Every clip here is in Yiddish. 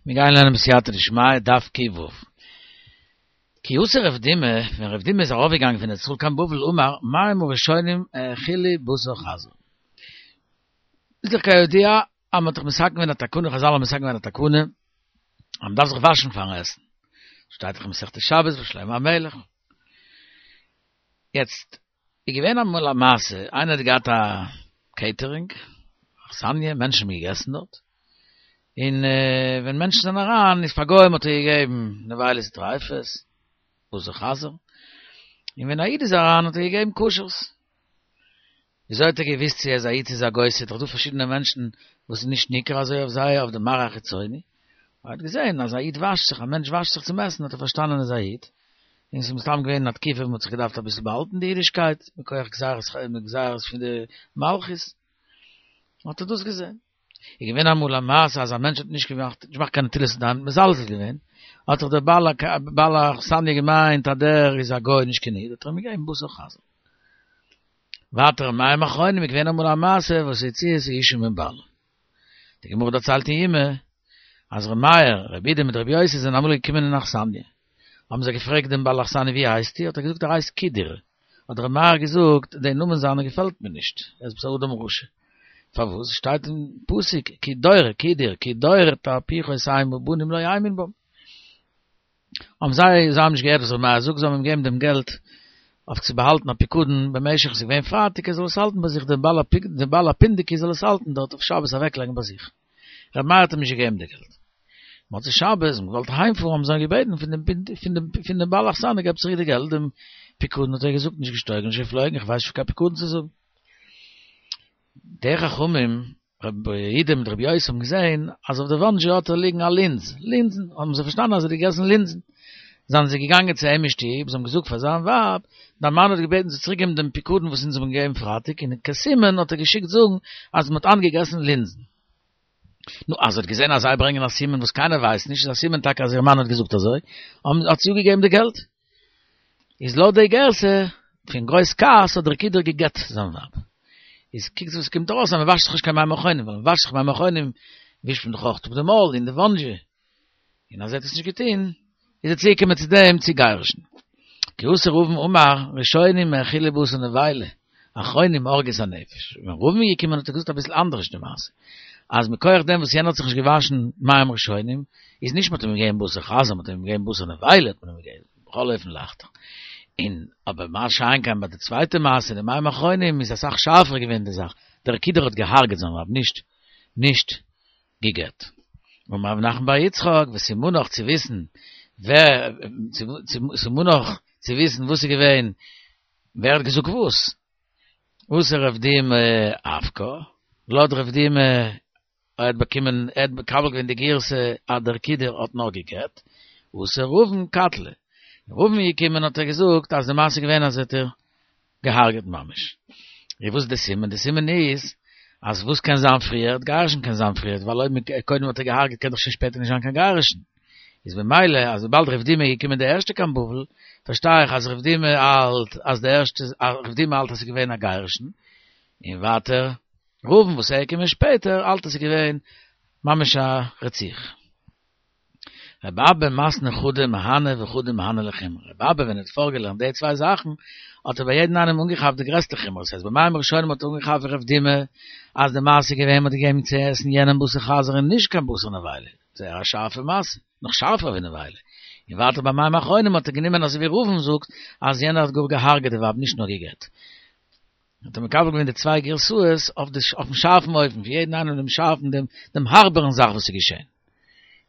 מיר גייען לערנען בסייעתא דשמיא דף ק"ו. כי אתא רב דימי, ווען רב דימי איז ארויפגעגאנגען פון ארץ ישראל קיין בבל אמר מים הראשונים האכילו בשר חזיר. איז דאך כידוע אז מען האט דאך מתקן געווען א תקנה, חזל האבן מתקן געווען א תקנה אז מען דארף זיך וואשן פארן עסן. שטייט דאך אין מסכת שבת ביי שלמה המלך. יעצט איז געווען אמאל א מעשה, איינער האט געהאט א קעיטערינג, אכסניא, מענטשן האבן געגעסן דארט, און ווען מענטשן זענען אריין איז פאר גוים האט ער געגעבן נבילות וטריפות, בשר חזיר, און ווען א איד איז אריין האט ער געגעבן כשר'ס. וויאזוי האט ער געוואוסט צו ער איז א איד צו איז א גוי, ס'איז דאך דא פארשידענע מענטשן וואס איז נישט ניכר אזוי אויף זיי אויף די מראה החיצוני, ער האט געזען אז א איד וואשט זיך, א מענטש וואשט זיך צום עסן האט ער פארשטאנען ער איז א איד, און ס'איז מסתם געווען אין א תקופה וואס מ'האט זיך געדארפט אביסל באהאלטן די אידישקייט מכח גזירות גזירות פון די מלכות, האט ער דאס געזען. איז געווען אמאל א מעשה אז א מענטש האט נישט געמאכט נישט געמאכט קיין נטילת ידיים, מזלזל געווען, האט זיך דער בעל האכסניא געמיינט אז דער איז א גוי נישט קיין איד, האט ער אים געגעבן בשר חזיר. ווייטער מים אחרונים איז געווען אמאל א מעשה וואס הוציאה את האשה מבעלה. די גמרא דערציילט אין יומא אז ר' מאיר, ר' אידי מיט ר' יוסי זענען אמאל געקומען אין אכסניא, האבן זיי געפרעגט דעם בעל אכסניא ווי הייסטו, האט ער געזאגט ער הייסט קידור, האט ר' מאיר געזאגט דער נאמען זיינער געפעלט מיר נישט, ער איז עפעס א אדם רשע, פארוואס שטייט אין פסוק כי דור קידור כי דור תהפוכות המה בנים לא האמין בם. האבן זיי, זיי האבן נישט געהערט וואס ר' מאיר זאגט, זיי האבן אים געגעבן דעם געלט אויף צו באהאלטן א פיקדון במשך ס'איז געווען פרייטאג ער זאל עס האלטן ביי זיך, דער בעל דער בעל הפונדקי זאל עס האלטן דארט אויף שבת אוועקלייגן ביי זיך. ר' מאיר האט אים נישט געגעבן די געלט. מוצאי שבת האבן געוואלט אהיימפארן האבן זיי געבעטן פון דעם פון דעם פון דעם בעל אכסניא געב צוריק די געלט דעם פיקדון האט ער געזאגט נישט געשטויגן נישט געפלויגן איך ווייס נישט פון קיין פיקדון צו זאגן. די חכמים רבי אידי מיט רבי יוסי האבן געזען אז אויף די וואנדזשע האט ער ליגן א לינז, לינזן, האבן זיי פארשטאנען אז ער האט געגעסן לינזן. זענען זיי געגאנגען צו אים אין שטוב, זיי האבן געזאגט פאר זיין ווייב, דיין מאן האט געבעטן צו צוריק געבן דעם פיקדון וואס אונז האבן געגעבן פרייטאג, און כסימן האט ער געשיקט זאגן אז מען האט היינט געגעסן לינזן. נו, אז זי האט געזען אז זיי ברענגען א סימן וואס קיינער ווייסט נישט, איז א סימן טאקע אז איר מאן האט געזאגט אזוי, האט זי אפגעגעבן די געלט. איז לויט די גירסא, פון גרויס כעס האט דער קידור גע'גט זיין ווייב. איז קוקטס וואס קומט ארויס אז מען וואשט זיך נישט קיין מים אחרונים, ווייל מען וואשט זיך מים אחרונים ווישט מען דאך אויך אפ די מויל און די וואנדזשע. און אז ער האט עס נישט געטון, איז ער צוגעקומען צו דעם צו גירושין. כי אתא רבין אמר, ראשונים האכילו בשר נבילה, אחרונים הרגו את הנפש. ווען רבין איז געקומען האט ער געזאגט אביסל אנדערש די מעשה. אז מכח דעם וואס יענער האט זיך נישט געוואשן מים ראשונים, איז נישט מ'האט אים געגעבן בשר חזיר, מ'האט אים געגעבן בשר נבילה האט מען אים געגעבן, בכל אופן לייכטער. און אבער מה שאין כן ביי די צווייטע מעשה, די מים אחרונים, איז אסאך שארפער געווען די זאך, דער קידור האט געהארגעט זיין ווייב, נישט נישט גע'גט. אמר רב נחמן בר יצחק, וסימנך צו וויסן ווער, סימנך צו וויסן וואס איז געווען, ווער האט געזאגט וואס? אתא רב דימי אפקה, לויט רב דימי ער האט באקומען, ער האט מקבל געווען די גירסא אז דער קידור האט נאר גע'גט, אתא רבין קטלה, רבין איז געקומען האט ער געזאגט אז די מעשה איז געווען אז ער האט איר געהארגעט ממש. איז וואס איז די סימן? די סימן איז אז וואס קען זיין פריערט? גירושין קען זיין פריערט, ווייל אויב קודם האט ער געהארגעט קען דאך שוין שפעטער נישט זיין קיין גירושין. איז במילא אז וויבאלד רב דימי איז געקומען די ערשטע קיין בבל, פארשטיי איך אז רב דימי האלט אז די ערשטע, רב דימי האלט אז ס'איז געווען א גירושין, און ווייטער רבין וואס ער איז געקומען שפעטער האלט אז ס'איז געווען ממש א רציחה. רבי אבא מתני חדא מהני וחדא מהני לחומרא, רבי אבא ווען ער האט פארגעלערנט די צוויי זאכן האט ער ביי יעדן איינעם אנגעכאפט די גרעסטע חומרא, ס'הייסט ביי מים ראשונים האט ער אנגעכאפט ווי רב דימי אז די מעשה איז געווען מ'האט געגעבן צו עסן יענעם בשר חזיר און נישט קיין בשר נבילה, זייער א שארפע מעשה, נאך שארפער ווי נבילה, און ווייטער ביי מים אחרונים האט ער גענומען אזוי ווי רבין זאגט אז יענער האט גאר געהארגעט די ווייב נישט נאר גע'גט. האט ער מקבל געווען די צוויי גירסאות אויף די אויפן שארפן אופן, פון יעדן איינעם דעם שארפן דעם דעם הארבערן זאך וואס איז געשען.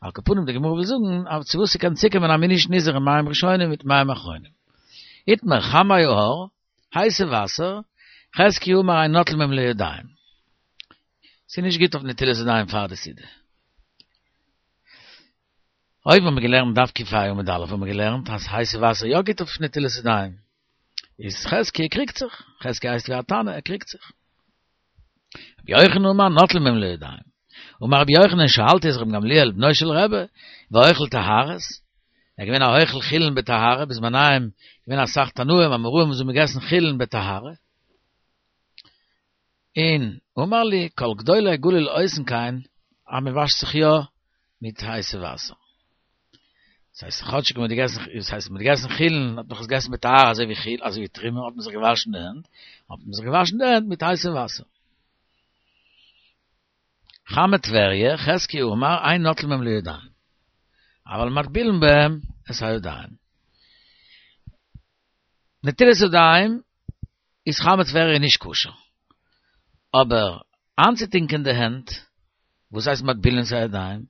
על כל פנים די גמרא וויל זאגן אז צו וואס ס'קען צוקומען אז מ'איז נישט נזהר אין מים ראשונים מיט מים אחרונים. איתמר חמי ההר, הייסע וואסער, חזקיה אמר אין נוטלין בהם לידיים. ס'איז נישט גוט אויף נטילת ידיים פאר די סעודה. אויבן האבן מיר געלערנט דף ק"ה עמוד א' האבן מיר געלערנט אז הייסע וואסער יא גוט אויף נטילת ידיים. איז חזקיה קריגט זיך, חזקיה הייסט ווי א תנא, ער קריגט זיך. רבי יוחנן אמר נוטלין בהם לידיים. אמר רבי יוחנן שאלתי את רבן גמליאל בנו של רבי, והאוכל טהרות, ער איז געווען א אוכל חולין בטהרה, בזמניהם געווען אסאך תנאים אמוראים וואס האבן געגעסן חולין בטהרה. און אמר לי כל גדולי הגליל עושין כן, אז מען וואשט זיך יא. מיט הייסע וואסער. דאס הייסט כאטשיג מ'האט געגעסן, דאס הייסט מ'האט געגעסן חולין, האט מען עס געגעסן בטהרה אזוי ווי חול, אזוי ווי תרומה, האט מען זיך געוואשן די הענט, האט מען זיך געוואשן די הענט מיט הייסע וואסער. חמי טבריה, חזקיה אמר, אין נוטלין בהם לידיים, אבל מטבילין בהם את הידיים. נטילת ידיים איז חמי טבריה נישט כשר, אבער איינצוטונקען די הענט, וואס הייסט מטבילין את הידיים?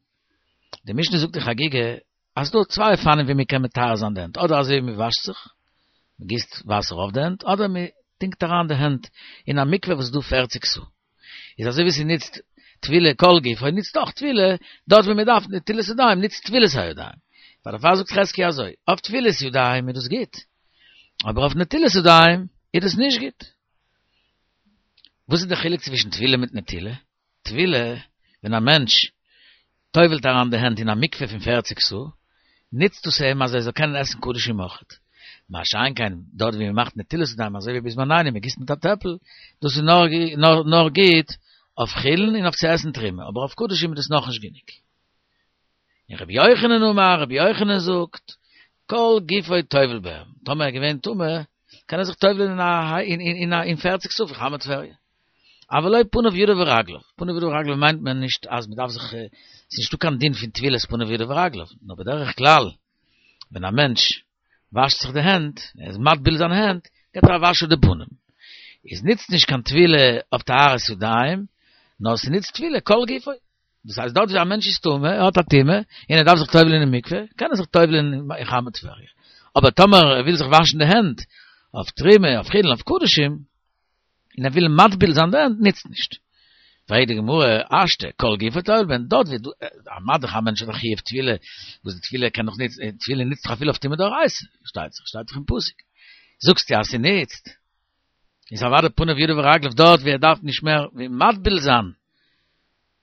די משנה זאגט אין חגיגה אז ס'דא צוויי אופנים ווי מען קען מטהר זיין די הענט, אדער אזוי ווי מען וואשט זיך, מען גיסט וואסער אויף די הענט, אדער מען טונקט אריין די הענט אין א מקווה וואס איז דא פערציג סאה. איז אזוי ווי ס'נוצט טבילה כל גופו נוצט אויך טבילה דארט ווי מען דארף נטילת ידיים נוצט טבילת הידיים. פאר דערפאר זאגט חזקיה אזוי, אויף טבילת ידיים איז דאס גוט, אבער אויף נטילת ידיים איז דאס נישט גוט. וואס איז די חילוק צווישן טבילה מיט נטילה? טבילה, ווען א מענטש טובל'ט אריין די הענט אין א מקווה פון פערציג סאה, נוצט דאס אים אז ער זאל קענען עסן קדשים אויכעט. מה שאין כן דארט ווי מען מאכט נטילת ידיים אזוי ווי בזמנינו מען גיסט מיט א טעפל, דאס איז נאר נאר גוט אויף חולין און אויף צו עסן תרומה, אבער אויף קדשים איז דאס נאכנישט גענוג. און רבי יוחנן אמר, רבי יוחנן זאגט, כל גופו טובל בהם, טאמער ער איז געווען טמא, קען ער זיך טובל'ען אין א אין פערציג סאה פון חמי טבריה. אבל לא פניו ידיו ורגליו, פניו ידיו ורגליו מיינט מען נישט אז מען דארף זיך, ס'איז נישטא קיין דין פון טבילת פניו ידיו ורגליו, נאר בדרך כלל ווען א מענטש וואשט זיך די הענט, ער איז מטביל זיינע הענט, געבט ער א וואש אויף די פנים. איז נוצט נישט קיין טבילה אויף טהרת ידיים, נאר ס'נוצט טבילה כל גופו. דאס הייסט דארט ווי א מענטש איז טמא, ער האט א טומאה, און ער דארף זיך טובל'ען אין מקווה, קען ער זיך טובל'ען אין חמי טבריה. אבער טאמער ער וויל זיך וואשן די הענט אויף תרומה, אויף חולין, אויף קדשים, און ער וויל מטביל זיין די הענט, נוצט נישט. פרעגט די גמרא, השתא, כל גופו טובל בהן, דארט ווי דא, מה דאך א מענטש האט א חיוב טבילה, וואס די טבילה קען דאך ניצן, טבילה נוצט דאך אפילו אויף טומאה דאורייתא, שטייט זיך, שטייט דאך אין פסוק. זאגסטו אז ס'נוצט, איז אוודאי פניו ידיו ורגליו דארט ווי ער דארף נישט מער ווי מטביל זיין,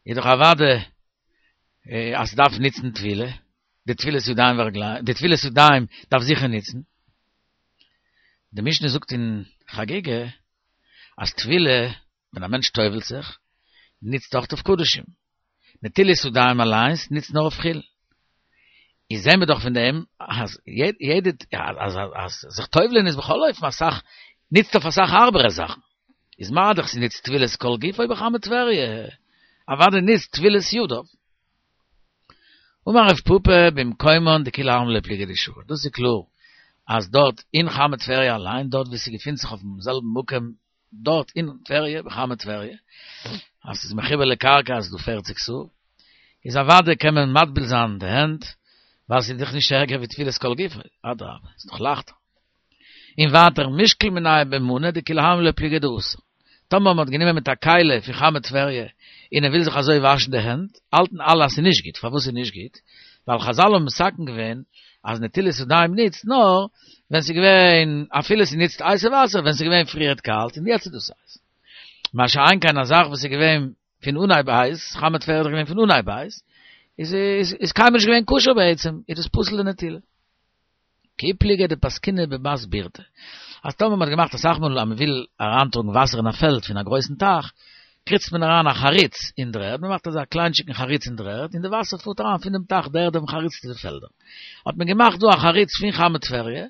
איז דאך אוודאי אז ס'דארף נוצן טבילה, די טבילת ידיים ורגליים, די טבילת ידיים דארף זיכער נוצן. די משנה זאגט אין חגיגה אז טבילה, ווען א מענטש טובל'ט זיך, נוצט אויך אויף קדשים. נטילת ידיים אליינס נוצט נאר אויף חולין. איז זעהן מיר דאך פון דעם אז יעדע אז אז זיך טובל'ען איז בכל אופן אסאך נוצט אויף אסאך הארבערע זאכן. איז מה דאך ס'נוצט טבילת כל גופו בחמי טבריה, אוודאי נוצט טבילת ידיו. אמר רב פפא במקומן דכולי עלמא לא פליגי דשרי, דאס איז קלאר אז דארט אין חמי טבריה אליין, דארט ווי ס'געפינט זיך אויפן זעלבן מקום דארט אין טבריה, בחמי טבריה, אז ס'איז מחובר לקרקע אז ס'איז דא פערציג סאה, איז אוודאי קען מען מטביל זיין די הענט, ווייל ס'איז דאך נישט ערגער ווי טבילת כל גופו, אדרבה, ס'איז נאך לייכטער. און ווייטער מישקל מינייהו במנא דכולי עלמא לא פליגי דאסור. טאמער מ'האט גענומען מיט א כלי פון חמי טבריה און ער וויל זיך אזוי וואשן די הענט, האלטן אלע אז ס'איז נישט גוט. פארוואס איז נישט גוט? ווייל חזל האבן מתקן געווען אז נטילת ידיים נוצט נאר ווען ס'איז געווען, אפילו ס'נוצט הייסע וואסער, ווען ס'איז געווען פריערט קאלט און יעצט איז דאס הייס. מה שאין כן א זאך וואס איז געווען פון אנהייב הייס, חמי טבריה איז דאך געווען פון אנהייב הייס, איז איז קיינמאל נישט געווען כשר בעצם, איז דאס פסול לנטילה. כי פליגי דפסקינהו בבת בירתא. אז טאמער מ'האט געמאכט אסאך מאל אז מ'וויל אריינטראגן וואסער אין א פעלד פון א גרויסן טייך, קריצט מען אריין א חריץ אין דר'ערד, מ'מאכט אזא קליינטשיקן חריץ אין דר'ערד, און די וואסער פארט אריין פון דעם טייך די ערד אויפן חריץ צו די פעלדער. האט מען געמאכט דא א חריץ פון חמי טבריה,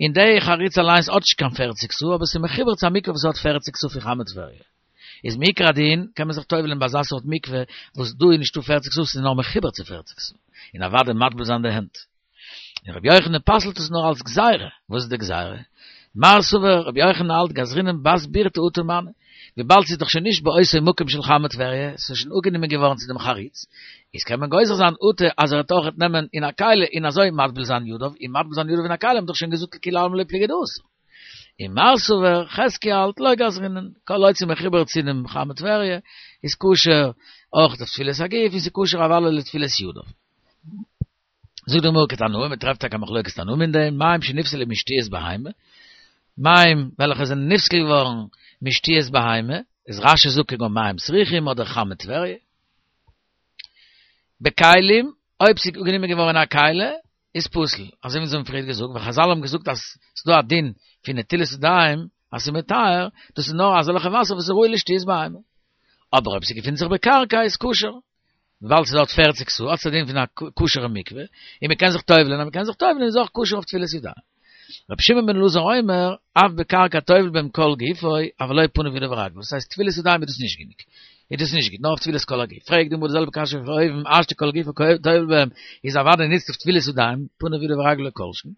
און די חריץ אליינס האט נישט קיין פערציג סאה, אבער ס'איז מחובר צו א מקווה וואס האט פערציג סאה פון חמי טבריה. איז מעיקר הדין קען מען זיך טובל'ען ביי אזא סארט מקווה וואס דא איז נישטא פערציג סאה, ס'איז נאר מחובר צו פערציג סאה, און אוודאי מטביל זיין די הענט. און רבי יוחנן פסל'ט עס נאר אלס גזירה, וואס איז די גזירה? מר סבר רבי יוחנן האלט גזרינן בת בירתא אטו מני, וויבאלד ס'איז דאך שוין נישט באותו מקום של חמי טבריה, ס'איז שוין אפגענומען געווארן צו דעם חריץ, איז קען מען גוזר זיין אטו אז ער וועט אויכעט נעמען אין א כלי און אזוי מטביל זיין ידיו, און מטביל זיין ידיו אין א כלי האט מען דאך שוין געזאגט לכולי עלמא לא פליגי דאסור. און מר סבר חזקיה האלט לא גזרינן, כל עוד ס'איז מחובר צו דעם חמי טבריה, איז כשר אויך אויף טבילת הגוף און ס'איז כשר אוודאי לטבילת ידיו. זאגט די גמרא כתנאי, מען טרעפט טאקע א מחלוקת תנאים אין דעם, מים שנפסלו משתיית בהמה, מים וועלכע זענען נפסל געווארן משתיית בהמה, איז רש"י זאגט כגון מים סרוחים אדער חמי טבריה. בכלים, אויב ס'איז גענומען געווארן אין א כלי, איז פסול, אזוי ווי אונז האבן פריער געזאגט, ווייל חזל האבן געזאגט אז ס'איז דא א דין פון נטילת ידיים אז ס'איז מטהר, דאס איז נאר אזעלכע וואסער וואס איז ראוי לשתיית בהמה. אבער אויב ס'געפינט זיך בקרקע איז כשר. וויבאלד ס'איז דארט פערציג סאה, האט עס א דין פון א כשר'ע מקווה, און מ'קען זיך טובל'ען, אז מ'קען זיך טובל'ען איז אויך כשר אויף טבילת ידיים. רבי שמעון בן אלעזר אומר, אף בקרקע טובל בהם כל גופו, אבל לא פניו ידיו ורגליו, דאס הייסט טבילת ידיים איז דאס נישט גענוג, איז דאס נישט גוט, נאר אויף טבילת כל הגוף. פרעגט די גמרא די זעלבע קשיא פון אויבן, השתא כל גופו טובל בהם, איז אוודאי ניצט אויף טבילת ידיים, פניו ידיו ורגליו לא כל שכן.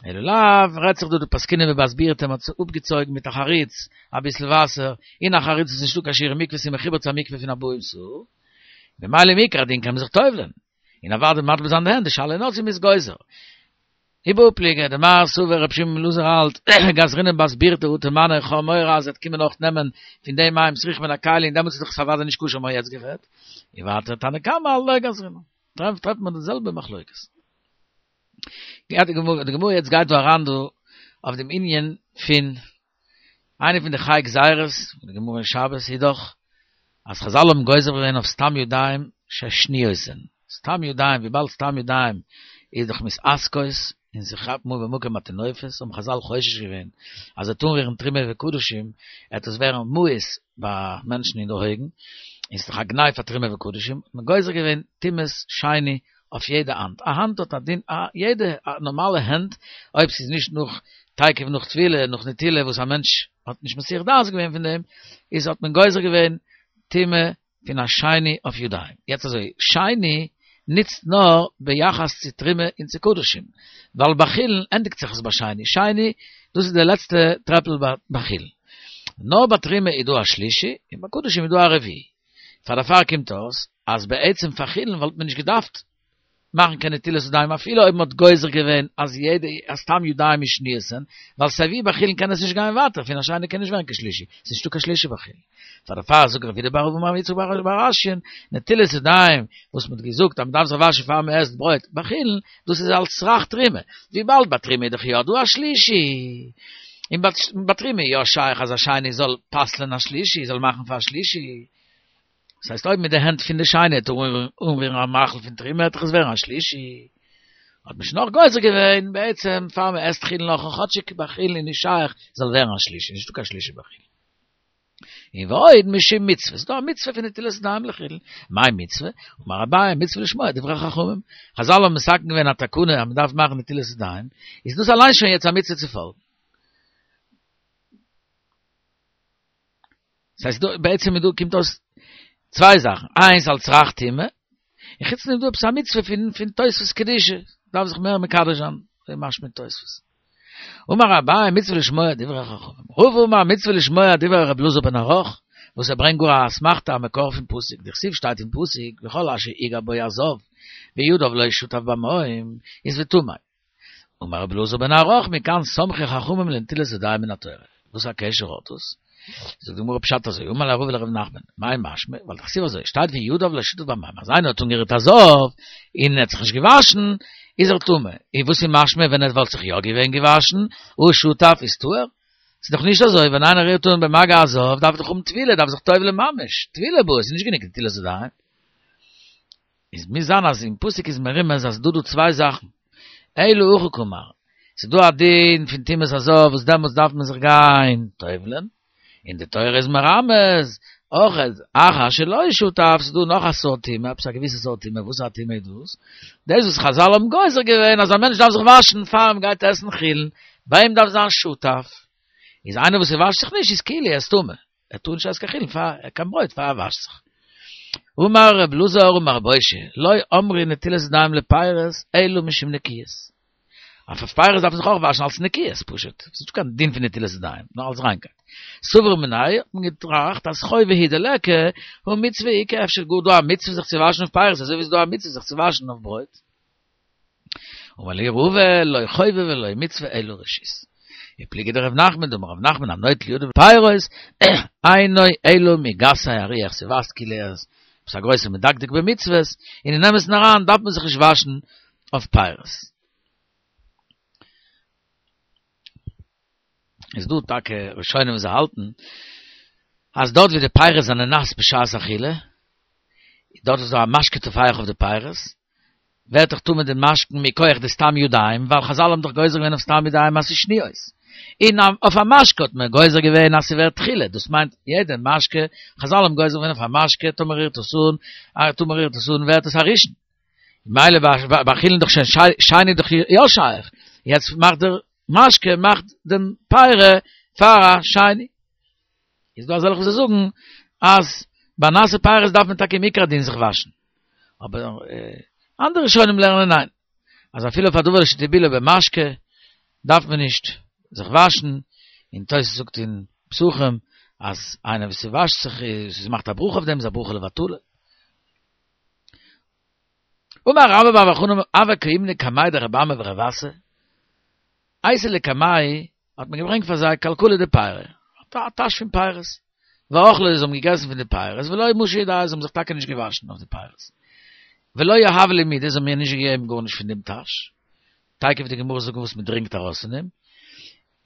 אלא לאו, רעדט זיך דא דפסקינן בבת בירתא, מ'האט עס אפגעצויגן מיט א חריץ, אביסל וואסער, אין א חריץ איז נישטא קיין שיעור מקווה, ס'איז מחובר צו א מקווה פון ארבעים סאה, ממילא מעיקר הדין קען מען זיך טובל'ען, און אוודאי מטביל זיין די הענט, די שאלה איז נאר צו מ'איז גוזר. ובהא פליגי, דמר סבר רבי שמעון בן אלעזר האלט, גזרינן בת בירתא אטו מנא איך האב מורא אז ער וועט קומען אויך נעמען פון די מים סרוך מן הכלי און דעמאלטס איז דאך עס אוודאי נישט כשר מ'האט יעצט גערעדט, און ווייטער תנא קמא האלט לא גזרינן. טרעפט מען די זעלבע מחלוקת. גייט די גמרא, די גמרא יעצט גייט דא אריין דא אויף דעם ענין פון איינע פון די חי גזירות, די גמרא אין שבת איז דאך אז חזל האבן גוזר געווען אויף סתם ידיים ששניות הן, סתם ידיים וויבאלד סתם ידיים איז דאך מתעסקות און ס'כאפט אן במקום הטינופת האבן חזל חושש געווען אז ער וועט אנרירן תרומה וקדשים עט עס ווערן מאוס ביי מענטשן אין די אויגן און ס'איז דאך א גנאי פאר תרומה וקדשים האט מען גוזר געווען טומאת שני אויף יעדע האנט, א האנט האט א דין, א יעדע נארמאלע הענט, אויב ס'איז נישט נאך תיכף נאך טבילה, נאך נטילה וואס א מענטש האט נישט מסיח דעת געווען פון דעם, איז האט מען גוזר געווען טומאה פון א שני אויף ידיים. יעצט אזוי, שני נוצט נאר ביחס צו תרומה און צו קדשים, ווייל ביי חולין ענדיגט זיך עס ביי שני, שני דאס איז די לעצטע טרעפל ביי חולין. נאר ביי תרומה איז דא א שלישי, און ביי קדשים איז דא א רביעי. פאר דערפאר קומט אויס אז בעצם פאר חולין וואלט מען נישט געדארפט מאכן קיין נטילת ידיים אפילו אויב מען האט גוזר געווען אז יעדע אז סתם ידיים איז שניות הן, ווייל סייווי ביי חולין קען עס נישט גיין ווייטער, פון א שני קען נישט ווערן קיין שלישי, ס'איז נישטא קיין שלישי ביי חולין. פאר דערפאר זאגט רב יהודה בר אבוה אמר רב יצחק בר אשיאן, נטילת ידיים וואס מען האט געזאגט אז מען דארף זיך וואשן פאר מען עסט ברויט ביי חולין, דאס איז על צרך תרומה, וויבאלד ביי תרומה איז דאך יא דא א שלישי, און ביי תרומה איז יא שייך אז א שני זאל פסל'ען א שלישי, זאל מאכן פאר א שלישי. דאס הייסט אויב מיט די הענט פון די שני וועט אנרירן א מאכל פון תרומה וועט דאך עס ווערן א שלישי. האט מען שוין נאך גוזר געווען בעצם פאר מען עסט חולין נאך און כאטשיג ביי חולין איז נישט שייך זאל ווערן א שלישי, נישטא קיין שלישי ביי חולין. און ועוד משום מצוה, ס'איז דא א מצוה פון נטילת ידיים לחולין, מאי מצוה? אמר אביי מצוה לשמוע דברי חכמים, חזל האבן מתקן געווען א תקנה אז מ'דארף מאכן נטילת ידיים, איז דאס אליין שוין יעצט א מצוה צו פאלגן. ס'הייסט דא בעצם איז דא קומט אויס צוויי זאכן, איינס על צרך טומאה, און חוץ דעם איז דא עפעס א מצוה פון פון תוספות קדושה, דארף זיך מער מקדש זיין, אזוי משמע אין תוספות. אמר אביי מצוה לשמוע דברי חכמים, רבא אמר מצוה לשמוע דברי רבי אלעזר בן ערך, וואס ער ברענגט גאר א אסמכתא א מקור פון פסוק, דכתיב שטייט אין פסוק וכל אשר יגע בו הזב וידיו לא שטף במים איז וטמא. אמר רבי אלעזר בן ערך מכאן סמכו חכמים לנטילת ידיים מן התורה. וואס א קשר האט דאס? זאגט די גמרא פשט אזוי, אמר ליה רבא לרב נחמן, מאי משמע, ווייל דכתיב אזוי, שטייט וידיו לא שטף במים, אז איינער האט אנגערירט א זב, און ער האט זיך נישט געוואשן, איז ער טמא, און וואס איז משמע ווען ער וואלט זיך יא געווען געוואשן, הא שטף איז טהור? ס'איז דאך נישט אזוי, ווען איינער רירט אן במגע הזב, דארף ער דאך האבן טבילה, דארף זיך טובל'ען ממש, טבילה בעי, ס'איז נישט גענוג נטילת ידיים. איז מוז זיין אז אין פסוק איז מרומז אז ס'דא דא צוויי זאכן, אלא הכי קאמר, ס'איז דא א דין פון טומאת הזב וואס דעמאלטס דארף מען זיך גיין טובל'ען, און די תורה איז מרמז אויך אחר שלא שטף, ס'איז דא נאך א סארט טומאה, עפעס א געוויסע סארט טומאה, וואס א טומאה איז דאס? דאס וואס חזל האבן גוזר געווען אז א מענטש דארף זיך וואשן פאר מען גייט עסן חולין, ביי אים דארף זיין שטף, איז איינער וואס וואשט זיך נישט איז כאילו ער איז טמא. ער טאר נישט עסן קיין חולין פאר קיין ברויט פאר ער וואשט זיך. אמר רב אלעזר אמר רב אושעיא, לא אמרו נטילת ידיים לפירות אלא משום נקיות. אויף פירות דארף מען זיך אויך וואשן אלס נקיות פשוט, ס'איז נישטא קיין דין פון נטילת ידיים, נאר אלס ריינקייט. סבור מיניה האט מען געטראכט אז חובה הוא דליכא, הא מצוה איכא, אפשר איז גאר דא א מצוה זיך צו וואשן אויף פירות אזוי ווי ס'איז דא א מצוה זיך צו וואשן אויף ברויט. אמר להו רבא, לא חובה ולא מצוה אלא רשות. ופליגא דרב נחמן דאמר רב נחמן הנוטל ידיו לפירות אינו אלא מגסי הרוח ס'ווייזט כאילו ער איז עפעס א גרויסער מדקדק במצוות, און אין אמת'ן אריין דארף מען זיך נישט וואשן אויף פירות. איז דא טאקע ראשונים וואס זיי האלטן אז דארט ווי די פירות זענען נאס בשעת אכילה, דארט איז דא א משקה טופח אויף די פירות, ווערט דאך טמא די משקין מכח די סתם ידיים, ווייל חזל האבן דאך גוזר געווען אויף סתם ידיים אז ס'איז שניות. און אויף א משקה האט מען גוזר געווען אז ס'ווערט תחילה, דאס מיינט יעדע משקה, חזל האבן גוזר געווען אויף א משקה טאמער רירט עס אן, טאמער רירט עס אן ווערט עס א ראשון. מילא ביי חולין דאך שוין שני דאך יא שייך, יעצט מאכט דער משקה מאכט דעם פרי פאר א שני. איז דא אזעלכע וואס זאגן אז ביי נאסע פירות דארף מען טאקע מעיקר הדין זיך וואשן, אבער אנדערע ראשונים לערנען ניין, אז אפילו אויף א דבר שטיבלו במשקה דארף מען נישט זיך וואשן, און תוס' זאגט אין פסחים אז איינער וואס ס'וואשט זיך איז מאכט א ברכה אויף דעם איז א ברכה לבטלה. אמר רבה בר בר חנה הוה קאימנא קמיה דרבי אמי ורב אסי, אייתי לקמייהו האט מען געברענגט פאר זיי כלכלה דפירי, א טאש פון פירות, ואכלי זיי האבן געגעסן פון די פירות, ולא משו ידייהו זיי האבן זיך טאקע נישט געוואשן אויף די פירות, ולא יהבו לי מידי זיי האבן מיר נישט געגעבן גארנישט פון דעם טאש, תיכף וועט די גמרא זאגן וואס מען דרינקט ארויס פון דעם,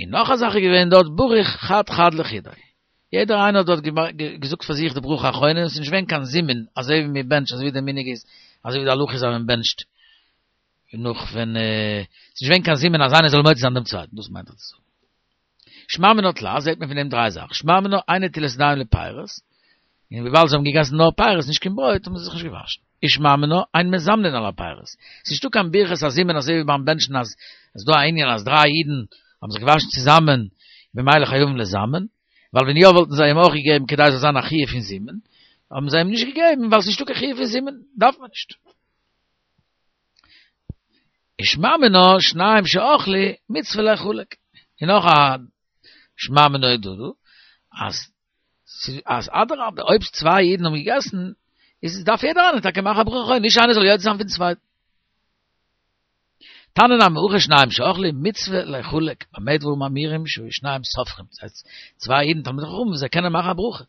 און נאך א זאך איז געווען דארט בריך חד חד לחודיה, יעדער איינער האט דארט געזאגט פאר זיך די ברכה אחרונה, און עס איז נישט געווען קיין זימון אזוי ווי מען בענטשט אזוי ווי די מנהג איז, אזוי ווי די הלכה איז אז מען בענטשט נאך ווען ס'איז נישט געווען קיין זימון אז איינער זאל מוציא זיין דעם צווייטן, דאס מיינט ער צו זאגן. שמע מינה תלת זעט מען פון דעם דריי זאכן, שמע מינה אין נטילת ידיים לפירות, און וויבאלד זיי האבן געגעסן נאר פירות נישט קיין ברויט האבן זיי זיך נישט געוואשן. ושמע מינה אין מזמנין על הפירות, ס'איז נישטא קיין ברכת הזימון אזוי ווי ביים בענטשן אז עס איז דא א ענין אז דריי אידן האבן זיך געוואשן צוזאמען במילא חייבים לזמן, ווייל ווען יא וואלטן זיי אים אויך געגעבן כדי ס'זאל זיין א חיוב פון זימון, האבן זיי אים נישט געגעבן ווייל ס'איז נישטא קיין חיוב פון זימון דארף מען נישט. ושמע מינה שניים שאכלו מצוה ליחלק, און נאך א שמע מינה איז דא דא, אז אז אדרבה אויב צוויי אידן האבן געגעסן, איז דארף יעדער איינער טאקע מאכן א ברכה, נישט איינער זאל יוצא זיין פון צווייטן. תניא נמי הכי שניים שאכלו מצוה ליחלק, במה דברים אמורים שהיו שניים סופרים, דאס הייסט צוויי אידן תלמידי חכמים זיי קענען מאכן א ברכה,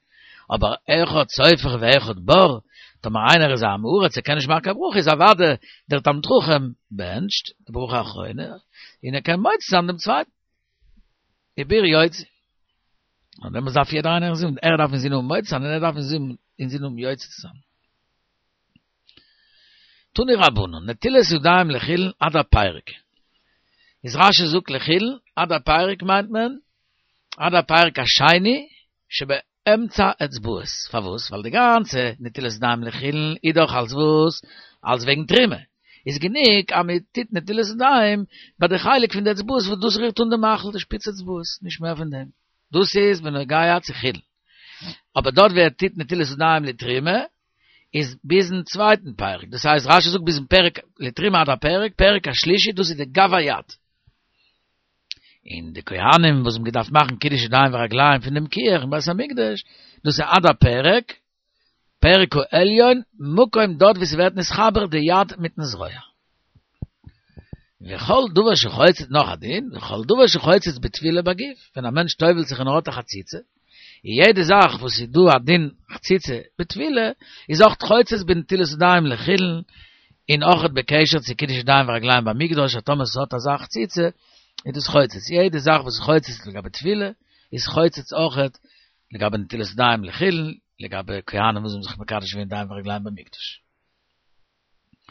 אבער אחד סופר ואחד בור, טאמער איינער איז א עם הארץ ער קען נישט מאכן קיין ברכה איז אוודאי דער תלמיד חכם בענטשט די ברכה אחרונה און ער קען מוציא זיין דעם צווייטן. ובור יוציא. און דעמאלטס דארף יעדער איינער אינזין, ער דארף אינזין האבן מוציא זיין און ער דארף אינזין האבן יוצא צו זיין. תנו רבנן, נטילת ידיים לחולין עד הפרק. איז רש"י זאגט לחולין עד הפרק מיינט מען עד הפרק השני שבאמצע אצבעות. פארוואס? ווייל די גאנצע נטילת ידיים לחולין איז דאך אלס וואס? אלס וועגן תרומה. איז גענוג אז מען טוט נטילת ידיים ביי די חלק פון די אצבעות וואס דאס רירט אן די מאכל, די שפיץ אצבעות, נישט מער פון דעם. דאס איז בנוגע צו חולין. אבער דארט ווי ער טוט נטילת ידיים לתרומה, איז ביזן צווייטן פרק, דאס הייסט רש"י זאגט ביזן פרק לתרומה עד הפרק, פרק השלישי דאס איז די גב היד. און די כהנים וואס האבן געדארפט מאכן קידוש ידיים ורגליים פון דעם כיור אין בית המקדש, דאס איז עד הפרק, פרק העליון, מקום דארט וואו ס'ווערט נתחבר די יד מיטן זרוע. וכל דבר שחוצץ נאך א דין, וכל דבר שחוצץ בטבילה בגוף, ווען א מענטש טובל'ט זיך און ער האט א חציצה, און יעדע זאך וואס איז דא א דין חציצה בטבילה, איז אויך חוצץ בנטילת ידיים לחולין, און אויך בקשר צו קידוש ידיים ורגליים במקדש, אז טאמער ס'האט אזא חציצה, איז דאס חוצץ. יעדע זאך וואס איז חוצץ לגבי טבילה, איז חוצץ אויך לגבי נטילת ידיים לחולין, לגבי כהנים וואס האבן זיך מקדש געווען ידיים ורגליים במקדש.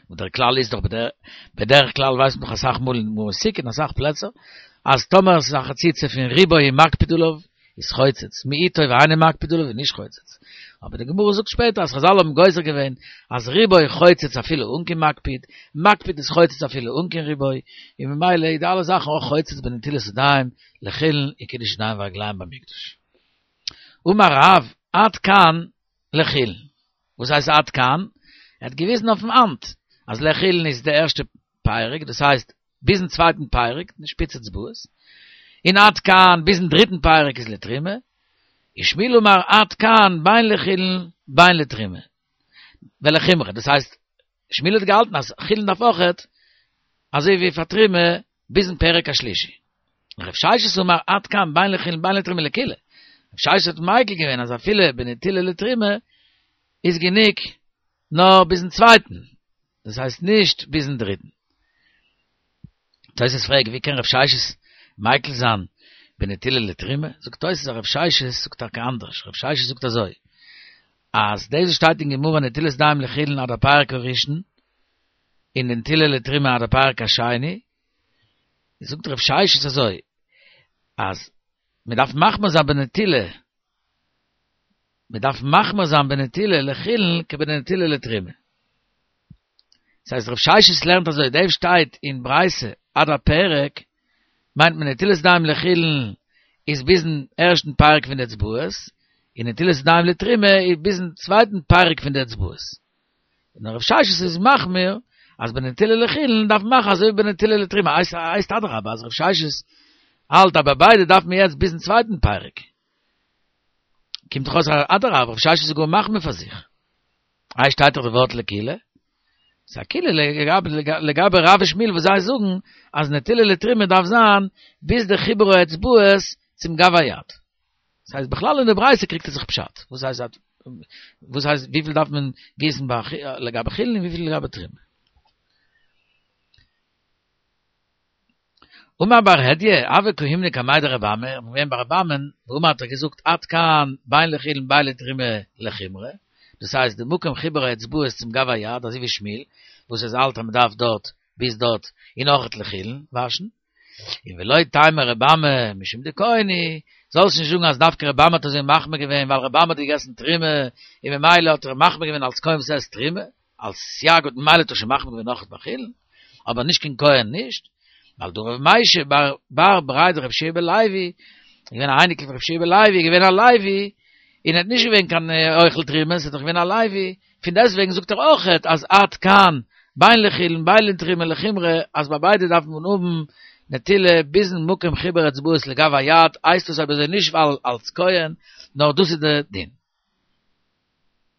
און דער כלל איז דאך בדרך כלל ווייסט מען דאך אסאך מאל אין גמרא סוכה אין אסאך פלעצער אז טאמער עס איז א חציצה פון רובו ומקפיד עליו איז חוצץ מיעוטו ואינו מקפיד עליו איז נישט חוצץ אבער די גמרא זאגט שפעטער אז חזל האבן גוזר געווען אז רובו חוצץ אפילו אן קיין מקפיד מקפיד איז חוצץ אפילו אן קיין רובו און ממילא איז די אלע זאכן אויך חוצץ בנטילת ידיים לחולין און קידוש ידיים ורגליים במקדש. אמר רב עד כאן לחולין. וואס הייסט עד כאן? ער האט געוויזן אויפן האנט אז לחולין איז די ערשטע פרק, דאס הייסט ביזן צווייטן פרק, די שפיץ אצבעות, און עד כאן ביזן דריטן פרק איז לתרומה, ושמואל אמר עד כאן בין לחולין בין לתרומה, ולחומרא, דאס הייסט שמואל האט געהאלטן אז חולין דארף אויכעט אזוי ווי פאר תרומה ביזן פרק השלישי. רב ששת אמר עד כאן בין לחולין בין לתרומה לקולא. רב ששת האט מיקל געווען אז אפילו בנטילה לתרומה איז גענוג נאר ביזן צווייטן, דאס הייסט נישט ביזן דריטן. תוס' פרעגט ווי קען רב ששת מיקל זיין בנטילה לתרומה? זאגט תוס' אז רב ששת זאגט טאקע אנדערש, רב ששת זאגט אזוי, אז דאס וואס שטייט אין גמרא נטילת ידיים לחולין עד הפרק הראשון, און נטילה לתרומה עד הפרק השני, זאגט רב ששת אזוי, אז מען דארף מחמיר זיין בנטילה, מען דארף מחמיר זיין בנטילה לחולין כבנטילה לתרומה. דאס הייסט רב ששת לערנט אזוי, דאס שטייט אין ברייתא עד הפרק, מיינט מען נטילת ידיים לחולין איז ביזן ערשטן פרק פון די אצבעות, און נטילת ידיים לתרומה איז ביזן צווייטן פרק פון די אצבעות. און רב ששת איז מחמיר אז בנטילה לחולין דארף מען מאכן אזוי ווי בנטילה לתרומה, הייסט אדרבה אז רב ששת האלט אז ביי ביידע דארף מען יעצט ביזן צווייטן פרק. קומט דאך אויס אדרבה רב ששת איז גאר מחמיר פאר זיך. איי שטייט דאך די ווארט לקולא? ס'איז א קולא לגבי רב ושמואל וואס זיי זאגן אז נטילה לתרומה דארף זיין ביז די חיבור האצבעות צום גב היד. דאס הייסט בכלל אין די ברייתא קריגט ער זיך פשט. וואס הייסט וואס הייסט וויפיל דארף מען גיסן ביי לגבי חולין און וויפיל לגבי תרומה. אמר בר הדיא, הוה קאימנא קמיה דרבי אמי, מ'איז געווען ביי רבי אמי'ן, ואמר האט ער געזאגט עד כאן בין לחולין בין לתרומה לחומרא, דאס הייסט די מקום חיבור האצבעות צום גב היד אזוי ווי שמואל וואס עס האלט אז מען דארף דארט ביז דארט און אויכעט לחולין וואשן, און ולא תימא רבי אמי משום דכהן הוא, זאלסט נישט זאגן אז דווקא רבי אמי האט אזוי מחמיר געווען ווייל רבי אמי האט געגעסן תרומה און ממילא האט ער מחמיר געווען אלס כהן וואס עסט תרומה. אלס סייג האט ממילא האט ער שוין מחמיר געווען אויכעט ביי חולין, אבער נישט קיין כהן נישט, ווייל דהא רב משי בר בר בריה דרב יהושע בן לוי, געווען א אייניקל פון רב יהושע בן לוי, געווען א לוי, און ער האט נישט געווען קיין אוכל תרומה, ס'איז דאך געווען א לוי, פון דעסטוועגן זאגט ער אויכעט אז עד כאן בין לחולין בין לתרומה לחומרא, אז ביי ביידע דארף מען האבן נטילה ביזן מקום חיבור אצבעות לגב היד, הייסט עס אויב אזוי נישט ווייל אלס כהן, נאר דאס איז די דין.